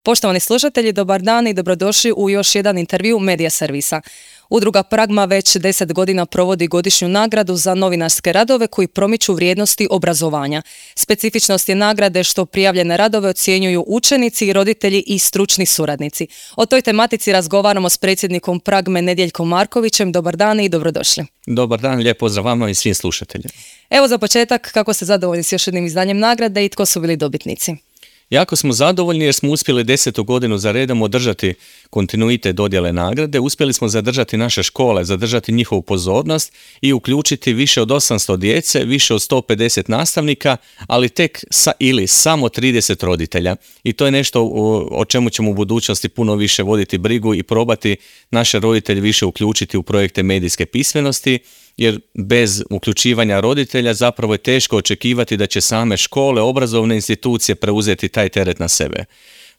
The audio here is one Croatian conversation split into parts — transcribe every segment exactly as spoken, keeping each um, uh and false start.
Poštovani slušatelji, dobar dan i dobrodošli u još jedan intervju Medija servisa. Udruga Pragma već deset godina provodi godišnju nagradu za novinarske radove koji promiču vrijednosti obrazovanja. Specifičnost je nagrade što prijavljene radove ocjenjuju učenici, roditelji i stručni suradnici. O toj tematici razgovaramo s predsjednikom Pragme Nedjeljkom Markovićem. Dobar dan i dobrodošli. Dobar dan, lijep pozdrav vama i svim slušateljima. Evo za početak, kako ste zadovoljni s još jednim izdanjem nagrade i tko su bili dobitnici? Jako smo zadovoljni jer smo uspjeli desetu godinu za redom održati kontinuitet dodjele nagrade, uspjeli smo zadržati naše škole, zadržati njihovu pozornost i uključiti više od osamsto djece, više od sto pedeset nastavnika, ali tek sa, ili samo trideset roditelja. I to je nešto o, o čemu ćemo u budućnosti puno više voditi brigu i probati naše roditelje više uključiti u projekte medijske pismenosti, jer bez uključivanja roditelja zapravo je teško očekivati da će same škole, obrazovne institucije preuzeti taj teret na sebe.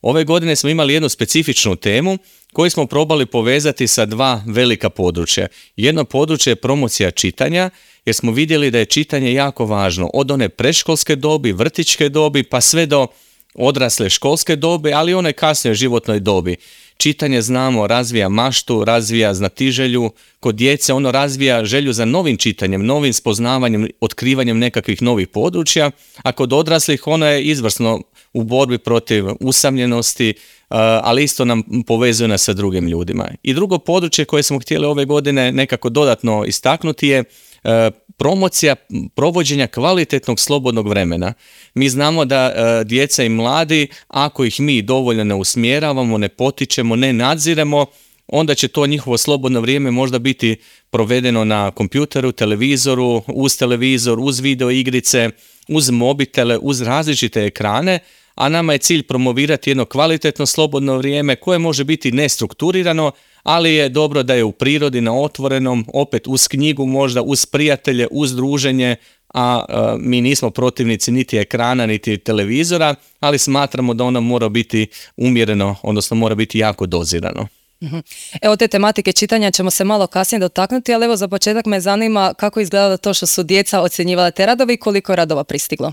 Ove godine smo imali jednu specifičnu temu koju smo probali povezati sa dva velika područja. Jedno područje je promocija čitanja, jer smo vidjeli da je čitanje jako važno, od one predškolske dobi, vrtićke dobi, pa sve do odrasle školske dobi, ali i one kasnije životnoj dobi. Čitanje, znamo, razvija maštu, razvija znatiželju, kod djece ono razvija želju za novim čitanjem, novim spoznavanjem, otkrivanjem nekakvih novih područja, a kod odraslih ono je izvrsno u borbi protiv usamljenosti, ali isto nam povezuje nas sa drugim ljudima. I drugo područje koje smo htjeli ove godine nekako dodatno istaknuti je promocija provođenja kvalitetnog slobodnog vremena. Mi znamo da e, djeca i mladi, ako ih mi dovoljno ne usmjeravamo, ne potičemo, ne nadziremo, onda će to njihovo slobodno vrijeme možda biti provedeno na kompjuteru, televizoru, uz televizor, uz video igrice, uz mobitele, uz različite ekrane, a nama je cilj promovirati jedno kvalitetno slobodno vrijeme koje može biti nestrukturirano, ali je dobro da je u prirodi, na otvorenom, opet uz knjigu, možda uz prijatelje, uz druženje, a, a mi nismo protivnici niti ekrana, niti televizora, ali smatramo da ono mora biti umjereno, odnosno mora biti jako dozirano. Evo, te tematike čitanja ćemo se malo kasnije dotaknuti, ali evo za početak me zanima kako izgleda to što su djeca ocjenjivala te radove i koliko je radova pristiglo.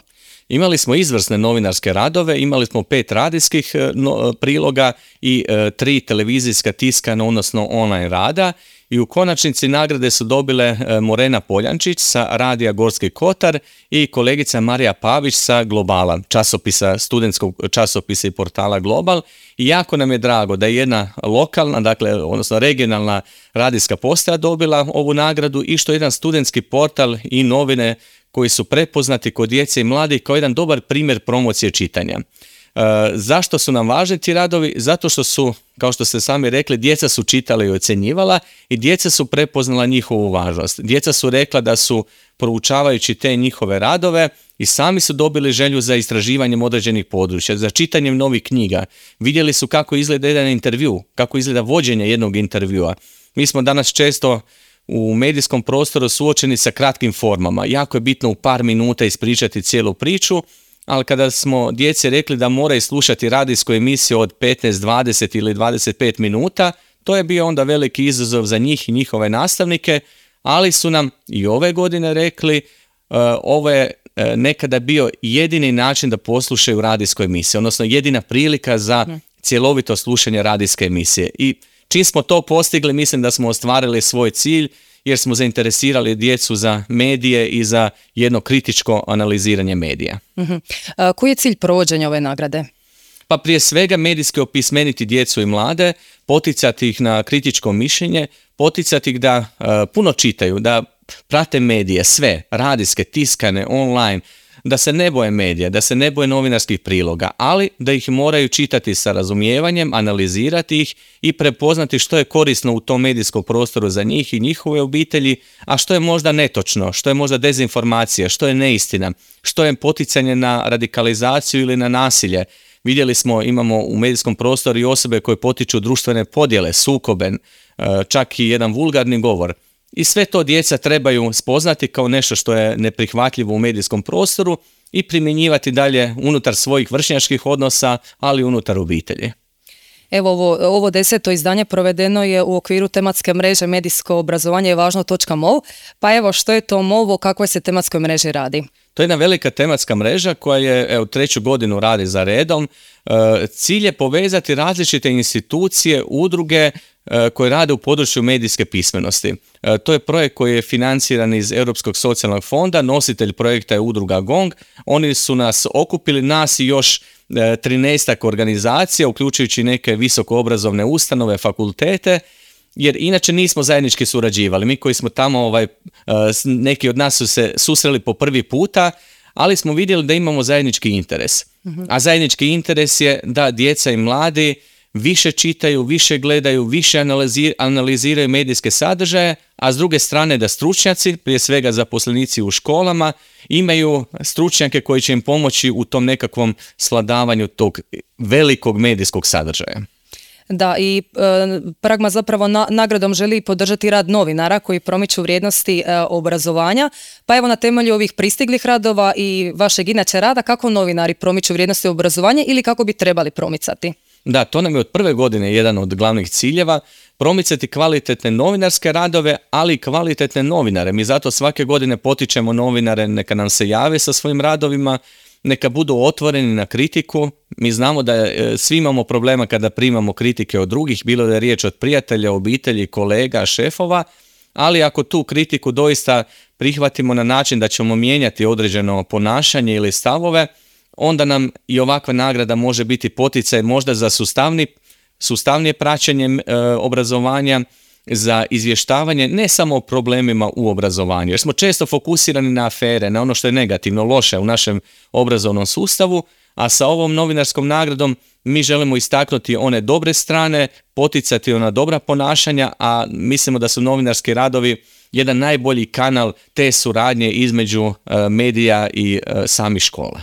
Imali smo izvrsne novinarske radove, imali smo pet radijskih no, priloga i e, tri televizijska tiskana, odnosno online rada, i u konačnici nagrade su dobile e, Morena Poljančić sa Radija Gorski Kotar i kolegica Marija Pavić sa Globala, časopisa, studentskog časopisa i portala Global. I jako nam je drago da je jedna lokalna, dakle, odnosno regionalna radijska postaja dobila ovu nagradu i što jedan studentski portal i novine koji su prepoznati kod djece i mladih kao jedan dobar primjer promocije čitanja. E, zašto su nam važni ti radovi? Zato što su, kao što ste sami rekli, djeca su čitala i ocjenjivala i djeca su prepoznala njihovu važnost. Djeca su rekla da su, proučavajući te njihove radove, i sami su dobili želju za istraživanjem određenih područja, za čitanjem novih knjiga. Vidjeli su kako izgleda jedan intervju, kako izgleda vođenje jednog intervjua. Mi smo danas često u medijskom prostoru suočeni sa kratkim formama. Jako je bitno u par minuta ispričati cijelu priču, ali kada smo djeci rekli da moraju slušati radijsku emisiju od petnaest, dvadeset ili dvadeset pet minuta, to je bio onda veliki izazov za njih i njihove nastavnike, ali su nam i ove godine rekli uh, ovo je uh, nekada bio jedini način da poslušaju radijsku emisiju, odnosno jedina prilika za cjelovito slušanje radijske emisije. I čim smo to postigli, mislim da smo ostvarili svoj cilj, jer smo zainteresirali djecu za medije i za jedno kritičko analiziranje medija. Uh-huh. A, koji je cilj provođenja ove nagrade? Pa prije svega medijski opismeniti djecu i mlade, poticati ih na kritičko mišljenje, poticati ih da uh, puno čitaju, da prate medije, sve, radijske, tiskane, online, da se ne boje medija, da se ne boje novinarskih priloga, ali da ih moraju čitati sa razumijevanjem, analizirati ih i prepoznati što je korisno u tom medijskom prostoru za njih i njihove obitelji, a što je možda netočno, što je možda dezinformacija, što je neistina, što je poticanje na radikalizaciju ili na nasilje. Vidjeli smo, imamo u medijskom prostoru i osobe koje potiču društvene podjele, sukobe, čak i jedan vulgarni govor. I sve to djeca trebaju spoznati kao nešto što je neprihvatljivo u medijskom prostoru i primjenjivati dalje unutar svojih vršnjačkih odnosa, ali unutar obitelji. Evo ovo, ovo deseto izdanje provedeno je u okviru tematske mreže Medijsko obrazovanje je važno .mov, pa evo što je to mov, o kakvoj se tematskoj mreži radi? To je jedna velika tematska mreža koja je evo, treću godinu radi za redom. E, cilj je povezati različite institucije, udruge e, koje rade u području medijske pismenosti. E, to je projekt koji je financiran iz Europskog socijalnog fonda, nositelj projekta je udruga Gong. Oni su nas okupili, nas i još trinaestak organizacija, uključujući neke visokoobrazovne ustanove, fakultete, jer inače nismo zajednički surađivali. Mi koji smo tamo, ovaj, neki od nas su se susreli po prvi puta, ali smo vidjeli da imamo zajednički interes. Uh-huh. A zajednički interes je da djeca i mladi više čitaju, više gledaju, više analiziraju medijske sadržaje, a s druge strane da stručnjaci, prije svega zaposlenici u školama, imaju stručnjake koji će im pomoći u tom nekakvom svladavanju tog velikog medijskog sadržaja. Da, i e, Pragma zapravo na, nagradom želi podržati rad novinara koji promiču vrijednosti e, obrazovanja. Pa evo na temelju ovih pristiglih radova i vašeg inače rada, kako novinari promiču vrijednosti obrazovanja ili kako bi trebali promicati? Da, to nam je od prve godine jedan od glavnih ciljeva, promicati kvalitetne novinarske radove, ali i kvalitetne novinare. Mi zato svake godine potičemo novinare, neka nam se jave sa svojim radovima, neka budu otvoreni na kritiku. Mi znamo da e, svi imamo problema kada primamo kritike od drugih, bilo da je riječ od prijatelja, obitelji, kolega, šefova, ali ako tu kritiku doista prihvatimo na način da ćemo mijenjati određeno ponašanje ili stavove, onda nam i ovakva nagrada može biti poticaj možda za sustavni, sustavnije praćenje e, obrazovanja, za izvještavanje ne samo o problemima u obrazovanju, jer smo često fokusirani na afere, na ono što je negativno, loše u našem obrazovnom sustavu, a sa ovom novinarskom nagradom mi želimo istaknuti one dobre strane, poticati ona dobra ponašanja, a mislimo da su novinarski radovi jedan najbolji kanal te suradnje između e, medija i e, samih škola.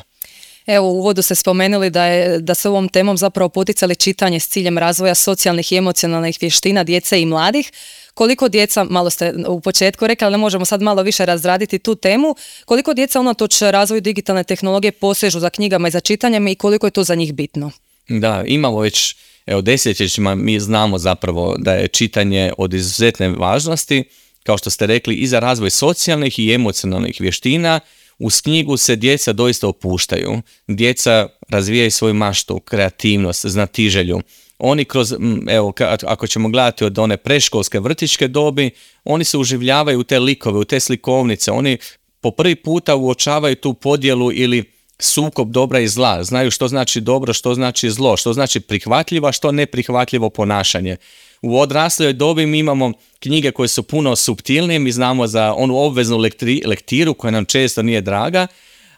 Evo, u uvodu ste spomenuli da, je, da se ovom temom zapravo poticali čitanje s ciljem razvoja socijalnih i emocionalnih vještina djece i mladih. Koliko djeca, malo ste u početku rekli, ali ne možemo sad malo više razraditi tu temu, koliko djeca unatoč razvoju digitalne tehnologije posežu za knjigama i za čitanjem i koliko je to za njih bitno? Da, imamo već, evo desetljećima mi znamo zapravo da je čitanje od izuzetne važnosti, kao što ste rekli, i za razvoj socijalnih i emocionalnih vještina. Uz knjigu se djeca doista opuštaju. Djeca razvijaju svoju maštu, kreativnost, znatiželju. Oni kroz, evo, ako ćemo gledati od one predškolske vrtićke dobi, oni se uživljavaju u te likove, u te slikovnice. Oni po prvi puta uočavaju tu podjelu ili sukob dobra i zla. Znaju što znači dobro, što znači zlo, što znači prihvatljivo, a što neprihvatljivo ponašanje. U odrasloj dobi mi imamo knjige koje su puno suptilnije, mi znamo za onu obveznu lektri, lektiru koja nam često nije draga,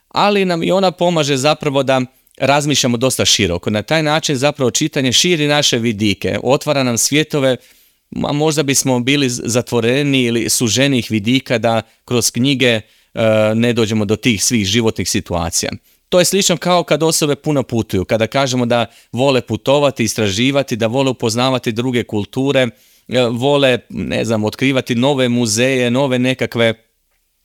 ali nam i ona pomaže zapravo da razmišljamo dosta široko. Na taj način zapravo čitanje širi naše vidike, otvara nam svjetove, a možda bismo bili zatvoreni ili suženih vidika da kroz knjige e, ne dođemo do tih svih životnih situacija. To je slično kao kad osobe puno putuju, kada kažemo da vole putovati, istraživati, da vole upoznavati druge kulture, vole, ne znam, otkrivati nove muzeje, nove nekakve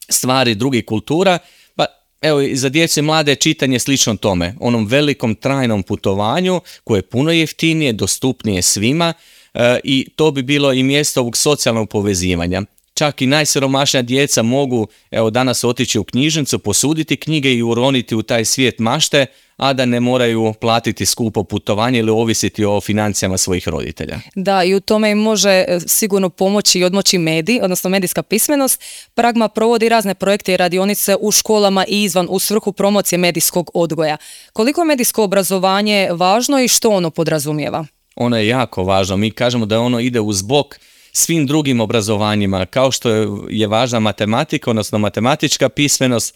stvari drugih kultura. Pa evo, i za djecu i mlade čitanje slično tome, onom velikom trajnom putovanju koje je puno jeftinije, dostupnije svima e, i to bi bilo i mjesto ovog socijalnog povezivanja. Čak i najsiromašnija djeca mogu, evo, danas otići u knjižnicu, posuditi knjige i uroniti u taj svijet mašte, a da ne moraju platiti skupo putovanje ili ovisiti o financijama svojih roditelja. Da, i u tome im može sigurno pomoći i odmoći medij, odnosno medijska pismenost. Pragma provodi razne projekte i radionice u školama i izvan u svrhu promocije medijskog odgoja. Koliko je medijsko obrazovanje važno i što ono podrazumijeva? Ono je jako važno. Mi kažemo da ono ide uz bok svim drugim obrazovanjima, kao što je, je važna matematika, odnosno matematička pismenost,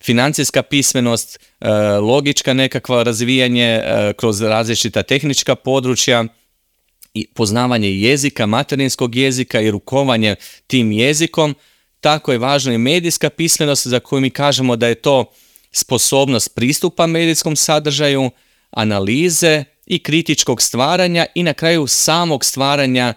financijska pismenost, e, logička nekakva razvijanje e, kroz različita tehnička područja, i poznavanje jezika, materinskog jezika i rukovanje tim jezikom. Tako je važna i medijska pismenost za koju mi kažemo da je to sposobnost pristupa medijskom sadržaju, analize i kritičkog stvaranja i na kraju samog stvaranja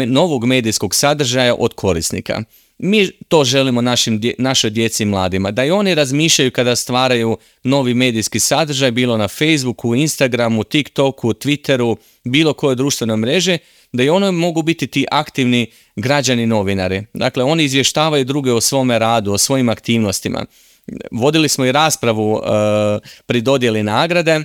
novog medijskog sadržaja od korisnika. Mi to želimo našim, našoj djeci i mladima, da i oni razmišljaju kada stvaraju novi medijski sadržaj, bilo na Facebooku, Instagramu, TikToku, Twitteru, bilo koje društvene mreže, da i oni mogu biti ti aktivni građani novinari. Dakle, oni izvještavaju druge o svome radu, o svojim aktivnostima. Vodili smo i raspravu uh, pri dodjeli nagrade,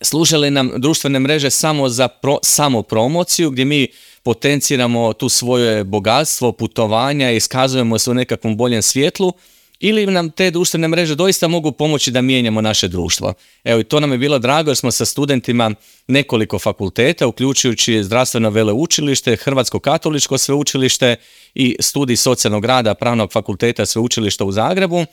služili nam društvene mreže samo za pro, samo promociju, gdje mi potenciramo tu svoje bogatstvo, putovanja, iskazujemo se u nekakvom boljem svjetlu, ili nam te društvene mreže doista mogu pomoći da mijenjamo naše društvo. Evo, i to nam je bilo drago jer smo sa studentima nekoliko fakulteta, uključujući Zdravstveno veleučilište, Hrvatsko katoličko sveučilište i studij socijalnog rada Pravnog fakulteta sveučilišta u Zagrebu,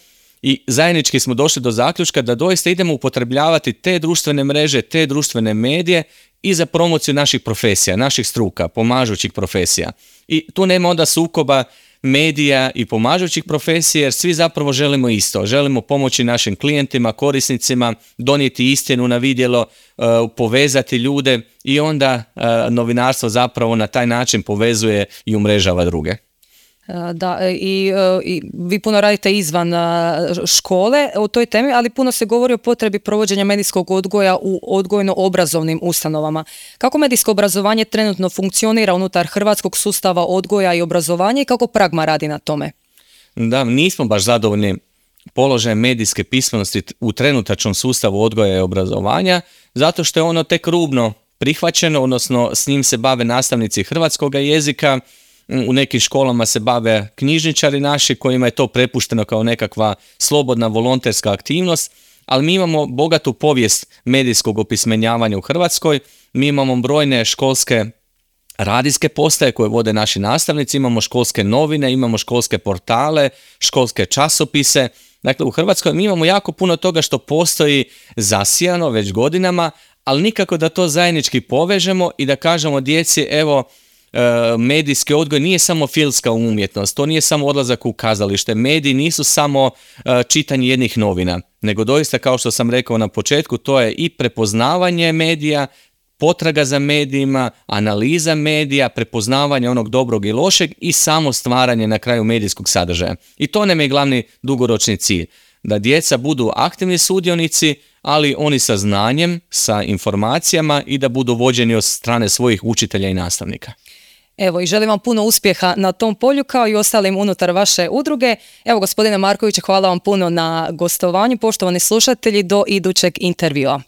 i zajednički smo došli do zaključka da doista idemo upotrebljavati te društvene mreže, te društvene medije i za promociju naših profesija, naših struka, pomažućih profesija. I tu nema onda sukoba medija i pomažućih profesija, jer svi zapravo želimo isto. Želimo pomoći našim klijentima, korisnicima, donijeti istinu na vidjelo, uh, povezati ljude, i onda uh, novinarstvo zapravo na taj način povezuje i umrežava druge. Da, i, i vi puno radite izvan škole o toj temi, ali puno se govori o potrebi provođenja medijskog odgoja u odgojno-obrazovnim ustanovama. Kako medijsko obrazovanje trenutno funkcionira unutar hrvatskog sustava odgoja i obrazovanja i kako Pragma radi na tome? Da, nismo baš zadovoljni položajem medijske pismenosti u trenutačnom sustavu odgoja i obrazovanja, zato što je ono tek rubno prihvaćeno, odnosno s njim se bave nastavnici hrvatskog jezika. U nekim školama se bave knjižničari naši kojima je to prepušteno kao nekakva slobodna volonterska aktivnost, ali mi imamo bogatu povijest medijskog opismenjavanja u Hrvatskoj. Mi imamo brojne školske radijske postaje koje vode naši nastavnici, imamo školske novine, imamo školske portale, školske časopise. Dakle, u Hrvatskoj mi imamo jako puno toga što postoji zasijano već godinama, ali nikako da to zajednički povežemo i da kažemo djeci, evo, medijski odgoj nije samo filmska umjetnost, to nije samo odlazak u kazalište, mediji nisu samo čitanje jednih novina, nego doista, kao što sam rekao na početku, to je i prepoznavanje medija, potraga za medijima, analiza medija, prepoznavanje onog dobrog i lošeg i samo stvaranje na kraju medijskog sadržaja. I to nam je glavni dugoročni cilj, da djeca budu aktivni sudionici, ali oni sa znanjem, sa informacijama, i da budu vođeni od strane svojih učitelja i nastavnika. Evo, i želim vam puno uspjeha na tom polju kao i ostalim unutar vaše udruge. Evo, gospodine Marković, hvala vam puno na gostovanju. Poštovani slušatelji, do idućeg intervjua.